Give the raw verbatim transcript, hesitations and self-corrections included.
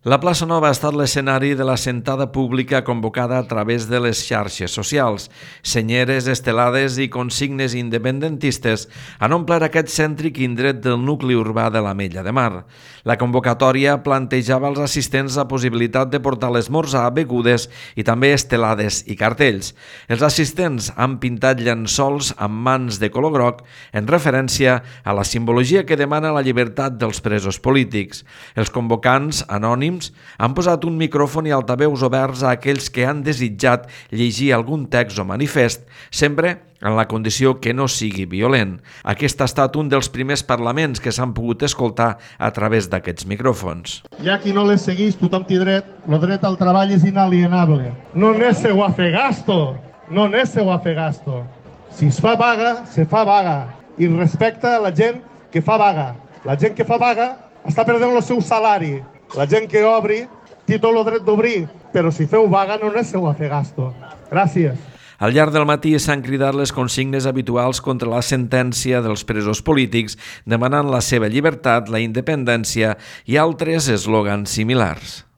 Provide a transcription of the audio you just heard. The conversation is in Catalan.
La plaça Nova ha estat l'escenari de la sentada pública convocada a través de les xarxes socials. Senyeres, estelades i consignes independentistes han omplert aquest cèntric indret del nucli urbà de l'Ametlla de Mar. La convocatòria plantejava als assistents la possibilitat de portar l'esmorzar, begudes i també estelades i cartells. Els assistents han pintat llençols amb mans de color groc en referència a la simbologia que demana la llibertat dels presos polítics. Els convocants, anònims, han posat un micròfon i altaveus oberts a aquells que han desitjat llegir algun text o manifest, sempre en la condició que no sigui violent. Aquest ha estat un dels primers parlaments que s'han pogut escoltar a través d'aquests micròfons. Hi ha qui no les segueix, tothom té dret. El dret al treball és inalienable. No nésseu a fer gasto, no nésseu a fer gasto. Si es fa vaga, se fa vaga. I respecta a la gent que fa vaga. La gent que fa vaga està perdent el seu salari. La gent que obri té tot el dret d'obrir, però si feu vaga no nésseu a fer gasto. Gràcies. Al llarg del matí s'han cridat les consignes habituals contra la sentència dels presos polítics, demanant la seva llibertat, la independència i altres eslògans similars.